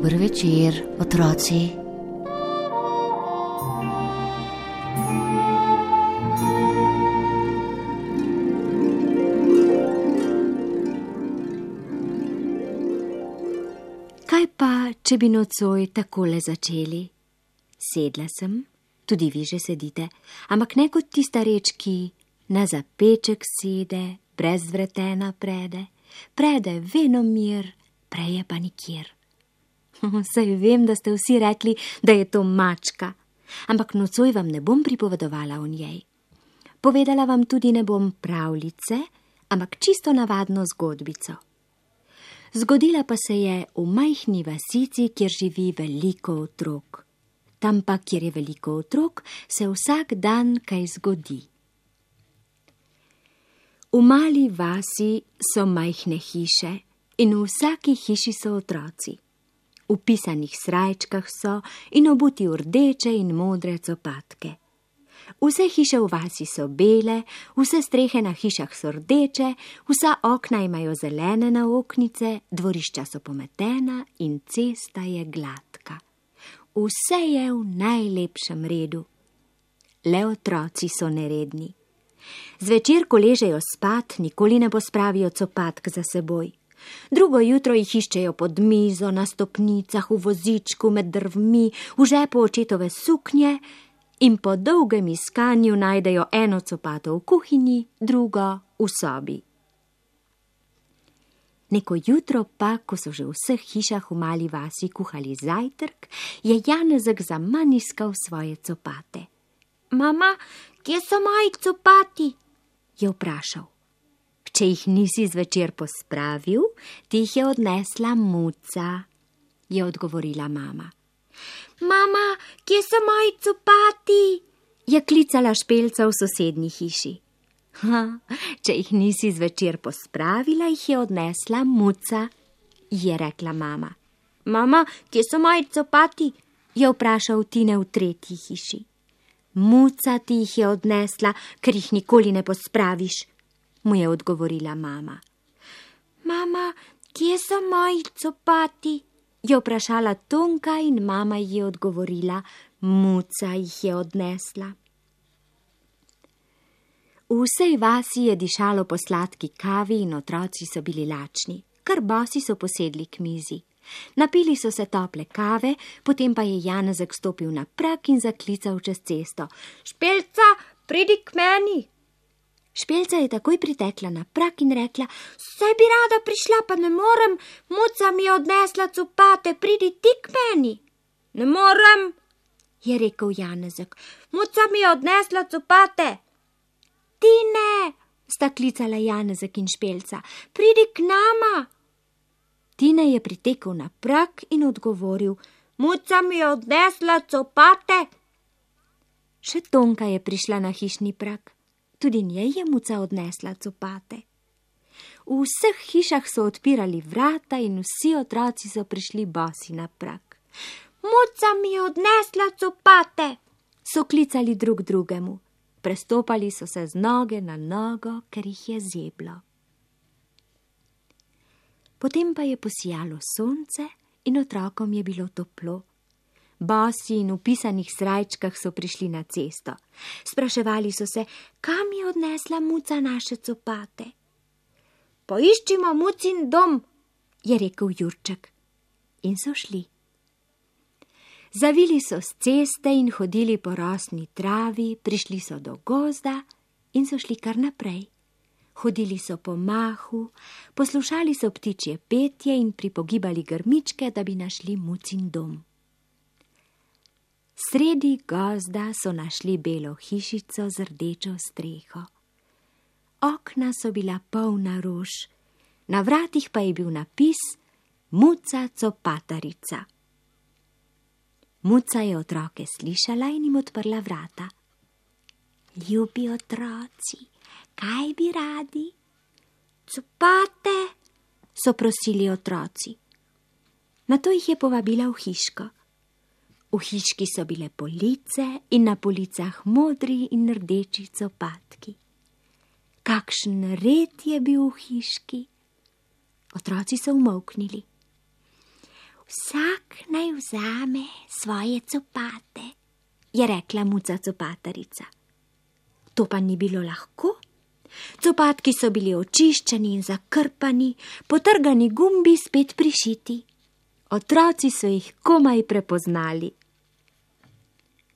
Dober večer, otroci. Kaj pa, če bi nocoj takole začeli? Sedla sem, tudi vi že sedite, ampak ne kot ti starečki, na zapeček sede, brez vretena prede venomir, preje pa nikjer. Saj vem, da ste vsi rekli, da je to mačka, ampak nocoj vam ne bom pripovedovala o njej. Povedala vam tudi ne bom pravljice, ampak čisto navadno zgodbico. Zgodila pa se je v majhni vasici, kjer živi veliko otrok. Tam pa, kjer je veliko otrok, se vsak dan kaj zgodi. V mali vasi so majhne hiše in v vsaki hiši so otroci. V pisanih srajčkah so in obuti v rdeče in modre copatke. Vse hiše v vasi so bele, vse strehe na hišah so rdeče, vsa okna imajo zelene naoknice, dvorišča so pometena in cesta je gladka. Vse je v najlepšem redu. Le otroci so neredni. Zvečer, ko ležejo spat, nikoli ne pospravijo copatk za seboj. Drugo jutro jih iščejo pod mizo, na stopnicah, v vozičku, med drvmi, v žepu očetove suknje in po dolgem iskanju najdejo eno copato v kuhinji, drugo v sobi. Neko jutro pa, ko so že v vseh hišah v mali vasi kuhali zajtrk, je Janezek zaman iskal svoje copate. Mama, kje so moji copati? Je vprašal. Če jih nisi zvečer pospravil, ti jih je odnesla Muca, je odgovorila mama. Mama, kje so moji copati? Je klicala Špelca v sosednji hiši. Če jih nisi zvečer pospravila, jih je odnesla Muca, je rekla mama. Mama, kje so moji copati? Je vprašal Tine v tretji hiši. Muca ti jih je odnesla, ker jih nikoli ne pospraviš, mu je odgovorila mama. Mama, kje so moji copati? Je vprašala Tonka in mama ji je odgovorila, Muca jih je odnesla. V vsej vasi je dišalo po sladki kavi in otroci so bili lačni, kar bosi so posedli k mizi. Napili so se tople kave, potem pa je Janezek stopil na prag in zaklical čez cesto. Špelca, pridi k meni! Špelca je takoj pritekla na prag in rekla, saj bi rada prišla, pa ne morem, Muca mi je odnesla copate, pridi ti k meni. Ne morem, je rekel Janezek, Muca mi je odnesla copate. Tine, sta klicala Janezek in Špelca, pridi k nama. Tine je pritekel na prag in odgovoril, Muca mi je odnesla copate. Še Tonka je prišla na hišni prag. Tudi njej je Muca odnesla copate. V vseh hišah so odpirali vrata in vsi otroci so prišli bosi na prag. Muca mi je odnesla copate, so klicali drug drugemu. Prestopali so se z noge na nogo, ker jih je zeblo. Potem pa je posijalo sonce in otrokom je bilo toplo. Bosi in v pisanih srajčkah so prišli na cesto. Spraševali so se, kam je odnesla Muca naše copate. Poiščimo Mucin dom, je rekel Jurček. In so šli. Zavili so s ceste in hodili po rosni travi, prišli so do gozda in so šli kar naprej. Hodili so po mahu, poslušali so ptičje petje in pripogibali grmičke, da bi našli Mucin dom. Sredi gozda so našli belo hišico z rdečo streho. Okna so bila polna rož, na vratih pa je bil napis Muca copatarica. Muca je otroke slišala in jim odprla vrata. Ljubi otroci, kaj bi radi? Copate, so prosili otroci. Nato jih je povabila v hiško. V hiški so bile police in na policah modri in rdeči copatki. Kakšen red je bil v hiški? Otroci so umolknili. Vsak vzame svoje copate, je rekla muca copatarica. To pa ni bilo lahko. Copatki so bili očiščeni in zakrpani, potrgani gumbi spet prišiti. Otroci so jih komaj prepoznali.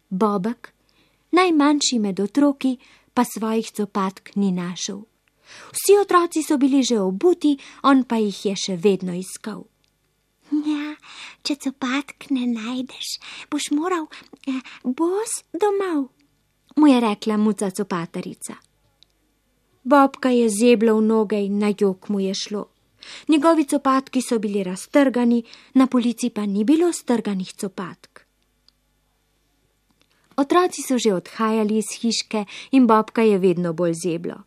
Bobek, najmanjši med otroki, pa svojih copatk ni našel. Vsi otroci so bili že obuti, on pa jih je še vedno iskal. Ja, če copatk ne najdeš, boš moral bos domov, mu je rekla muca copatarica. Bobka je zeblo v noge in na jok mu je šlo. Njegovi copatki so bili raztrgani, na polici pa ni bilo strganih copatk. Otroci so že odhajali iz hiške in Bobka je vedno bolj zeblo.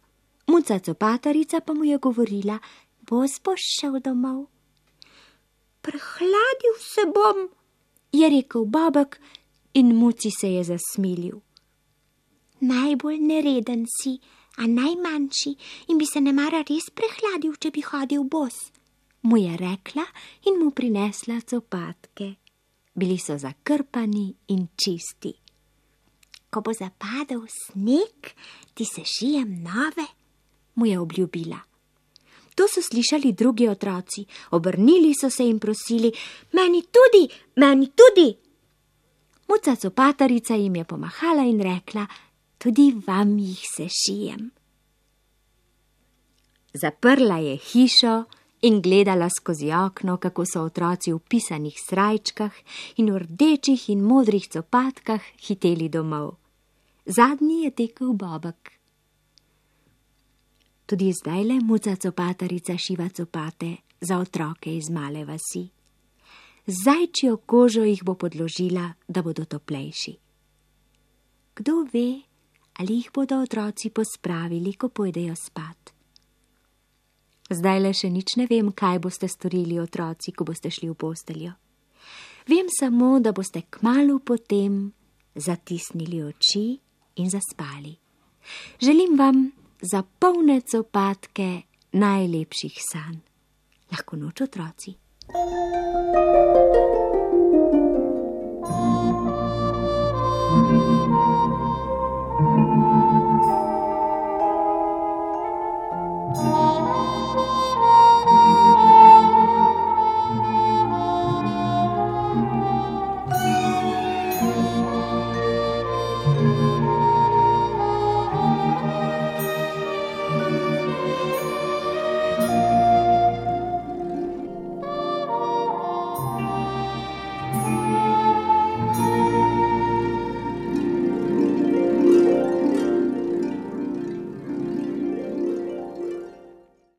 Muca copatarica pa mu je govorila, bos boš šel domov. Prehladil se bom, je rekel Bobek in muci se je zasmilil. Najbolj nereden si, a najmanjši, in bi se nemara res prehladil, če bi hodil bos, mu je rekla in mu prinesla copatke. Bili so zakrpani in čisti. Ko bo zapadel sneg, ti sešijem nove, mu je obljubila. To so slišali drugi otroci, obrnili so se in prosili, meni tudi, meni tudi. Muca copatarica jim je pomahala in rekla, tudi vam jih sešijem. Zaprla je hišo in gledala skozi okno, kako so otroci v pisanih srajčkah in v rdečih in modrih copatkah hiteli domov. Zadnji je tekel Bobek. Tudi zdajle muca copatarica šiva copate za otroke iz male vasi. Z zajčjo kožo jih bo podložila, da bodo toplejši. Kdo ve, ali jih bodo otroci pospravili, ko pojdejo spat. Zdajle še nič ne vem, kaj boste storili otroci, ko boste šli v posteljo. Vem samo, da boste kmalu potem zatisnili oči in zaspali. Želim vam za polne copatke najlepših sanj. Lahko noč, otroci.